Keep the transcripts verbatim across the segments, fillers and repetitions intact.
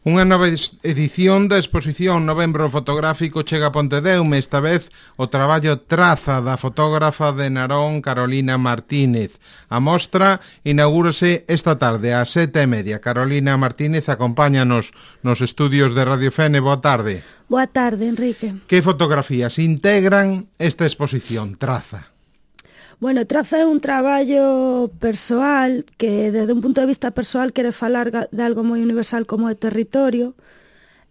Unha nova edición da exposición Novembro Fotográfico chega a Pontedeume, esta vez o traballo Traza da fotógrafa de Narón Carolina Martínez. A mostra inaugúrase esta tarde ás sete e media. Carolina Martínez, acompáñanos nos estudios de Radio Fene. Boa tarde. Boa tarde, Enrique. Que fotografías integran esta exposición Traza? Bueno, Traza é un traballo persoal que, desde un punto de vista persoal, quere falar de algo moi universal como é territorio.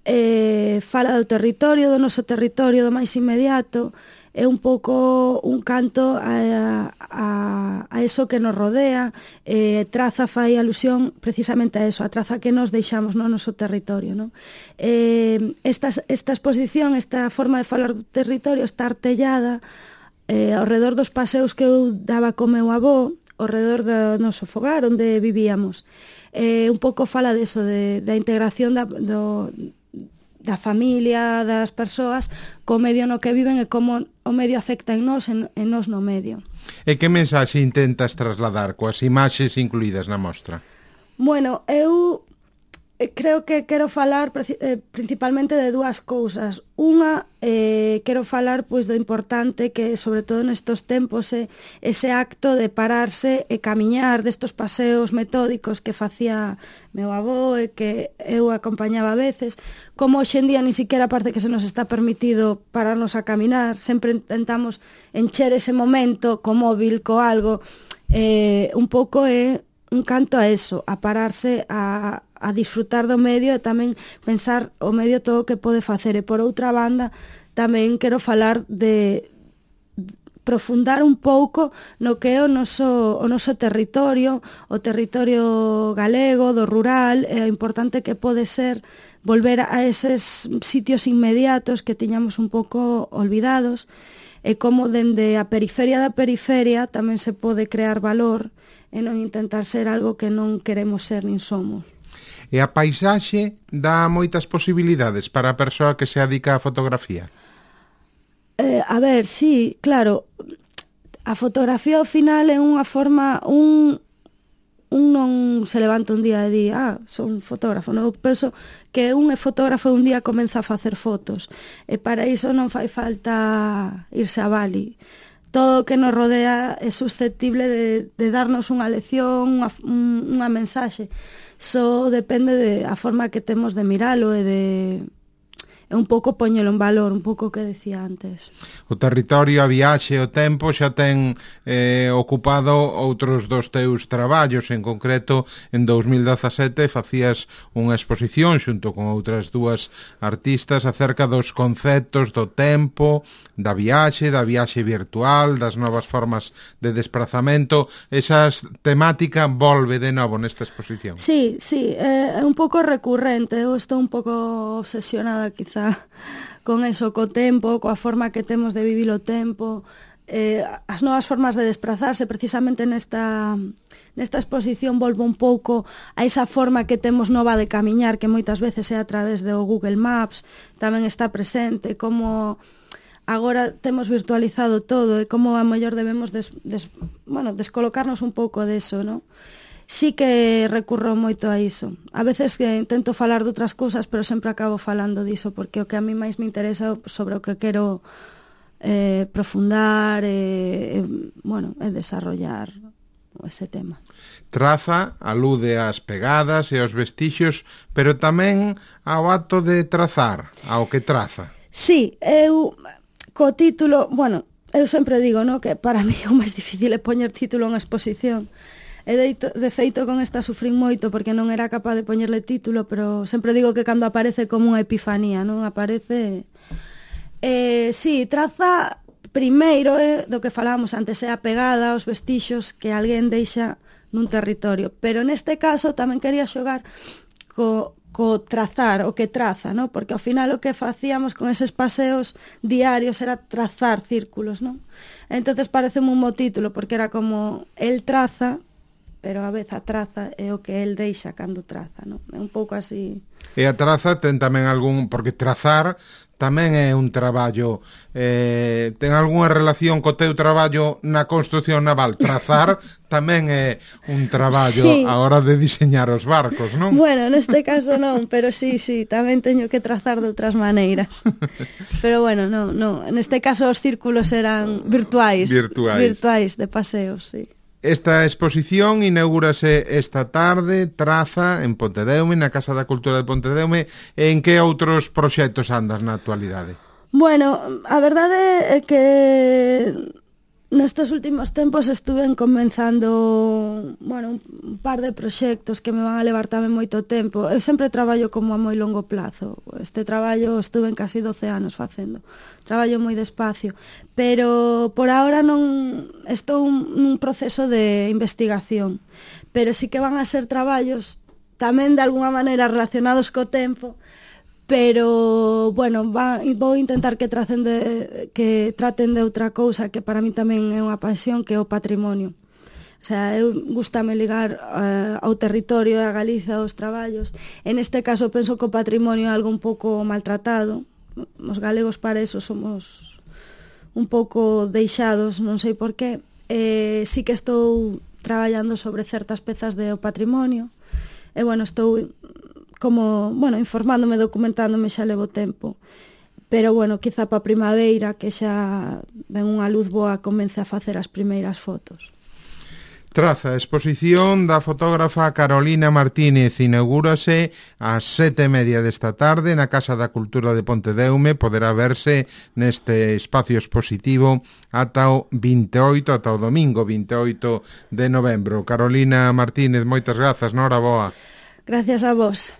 Eh, fala do territorio, do noso territorio, do máis inmediato. É un pouco un canto a, a, a eso que nos rodea. Eh, Traza fai alusión precisamente a eso, a traza que nos deixamos no noso territorio, non? Eh, esta, esta exposición, esta forma de falar do territorio está artellada Eh, ao redor dos paseos que eu daba co meu avó, ao redor do noso fogar onde vivíamos. Eh, un pouco fala deso, de, da integración da, do, da familia, das persoas, co medio no que viven e como o medio afecta en nós e en nós no medio. E que mensaxe intentas trasladar coas imaxes incluídas na mostra? Bueno, eu creo que quero falar eh, principalmente de dúas cousas. Unha, eh, quero falar pois do importante que, sobre todo nestos tempos, é ese acto de pararse e camiñar, destos paseos metódicos que facía meu avó e que eu acompañaba a veces, como hoxe en día ni siquiera parece que se nos está permitido pararnos a caminar, sempre intentamos encher ese momento co móvil, co algo, eh, un pouco é un canto a eso, a pararse a a disfrutar do medio e tamén pensar o medio todo o que pode facer. E por outra banda, tamén quero falar de, de profundar un pouco no que é o noso, o noso territorio, o territorio galego, do rural, e o importante que pode ser volver a eses sitios inmediatos que tiñamos un pouco olvidados, e como dende a periferia da periferia tamén se pode crear valor e non intentar ser algo que non queremos ser nin somos. E a paisaxe dá moitas posibilidades para a persoa que se adica á fotografía? Eh, a ver, sí, claro, a fotografía ao final é unha forma, un, un non se levanta un día e di, ah, son fotógrafo, non? Eu penso que un é fotógrafo e un día comeza a facer fotos, e para iso non fai falta irse a Bali. Todo o que nos rodea é susceptible de, de darnos unha lección, unha, unha mensaxe. Só depende de a forma que temos de miralo e de é un pouco poñelo en valor, un pouco o que decía antes. O territorio, a viaxe, o tempo xa ten eh, ocupado outros dos teus traballos. En concreto, en dous mil dezasete facías unha exposición xunto con outras dúas artistas acerca dos conceptos do tempo, da viaxe, da viaxe virtual, das novas formas de desplazamento. Esa temática volve de novo nesta exposición. Sí, sí, é un pouco recurrente. Eu estou un pouco obsesionada quizá con eso, co tempo, coa forma que temos de vivir o tempo, eh, as novas formas de desplazarse. Precisamente nesta, nesta exposición volvo un pouco a esa forma que temos nova de camiñar, que moitas veces é a través do Google Maps, tamén está presente, como agora temos virtualizado todo e como a mellor debemos des, des, bueno, descolocarnos un pouco deso, non? Sí que recurro moito a iso. A veces que intento falar de outras cousas, pero sempre acabo falando diso, porque o que a mí máis me interesa sobre o que quero eh, profundar e, eh, bueno, é desarrollar ese tema. Traza alude ás pegadas e aos vestixios, pero tamén ao acto de trazar, ao que traza. Sí, eu co título, bueno, eu sempre digo, no, que para mí o máis difícil é poñer título en exposición. E de, de feito con esta sufrín moito porque non era capaz de poñerle título, pero sempre digo que cando aparece como unha epifanía, non aparece... Eh, sí, traza primeiro é do que falábamos antes, é a pegada aos vestixos que alguén deixa nun territorio, pero neste caso tamén quería xogar co, co trazar, o que traza, non? Porque ao final o que facíamos con eses paseos diarios era trazar círculos, non? Entonces pareceme un bo título porque era como el traza, pero a vez a traza é o que el deixa cando traza, non? É un pouco así. E a traza ten tamén algún, porque trazar tamén é un traballo, eh, ten algunha relación co teu traballo na construción naval? Trazar tamén é un traballo sí. a hora de diseñar os barcos, non? Bueno, neste caso non, pero sí, sí, tamén teño que trazar de outras maneiras. Pero bueno, non, non, neste caso os círculos eran virtuais, virtuais, virtuais de paseos, sí. Esta exposición inaugúrase esta tarde, Traza, en Pontedeume, na Casa da Cultura de Pontedeume. En que outros proxectos andas na actualidade? Bueno, a verdade é que nestes últimos tempos estuve comenzando, bueno, un par de proxectos que me van a levar tamén moito tempo. Eu sempre traballo como a moi longo plazo. Este traballo estuve en casi doce anos facendo. Traballo moi despacio, pero por ahora non estou nun proceso de investigación, pero sí que van a ser traballos tamén de alguna maneira relacionados co tempo, pero, bueno, va, vou intentar que traten de, que traten de outra cousa que para mí tamén é unha pasión, que é o patrimonio. O sea, eu gustame ligar uh, ao territorio e a Galiza aos traballos. En este caso penso que o patrimonio é algo un pouco maltratado. Os galegos para eso somos un pouco deixados, non sei por qué. Eh, sí que estou traballando sobre certas pezas do patrimonio. E, bueno, estou como, bueno, informándome, documentándome, xa levo tempo. Pero, bueno, quizá para a primavera, que xa ven unha luz boa, comece a facer as primeiras fotos. Traza, exposición da fotógrafa Carolina Martínez, inaugúrase ás sete e media desta tarde na Casa da Cultura de Pontedeume. Poderá verse neste espacio expositivo ata o vinte e oito, ata o domingo vinte e oito de novembro. Carolina Martínez, moitas grazas, noraboa. Gracias a vos.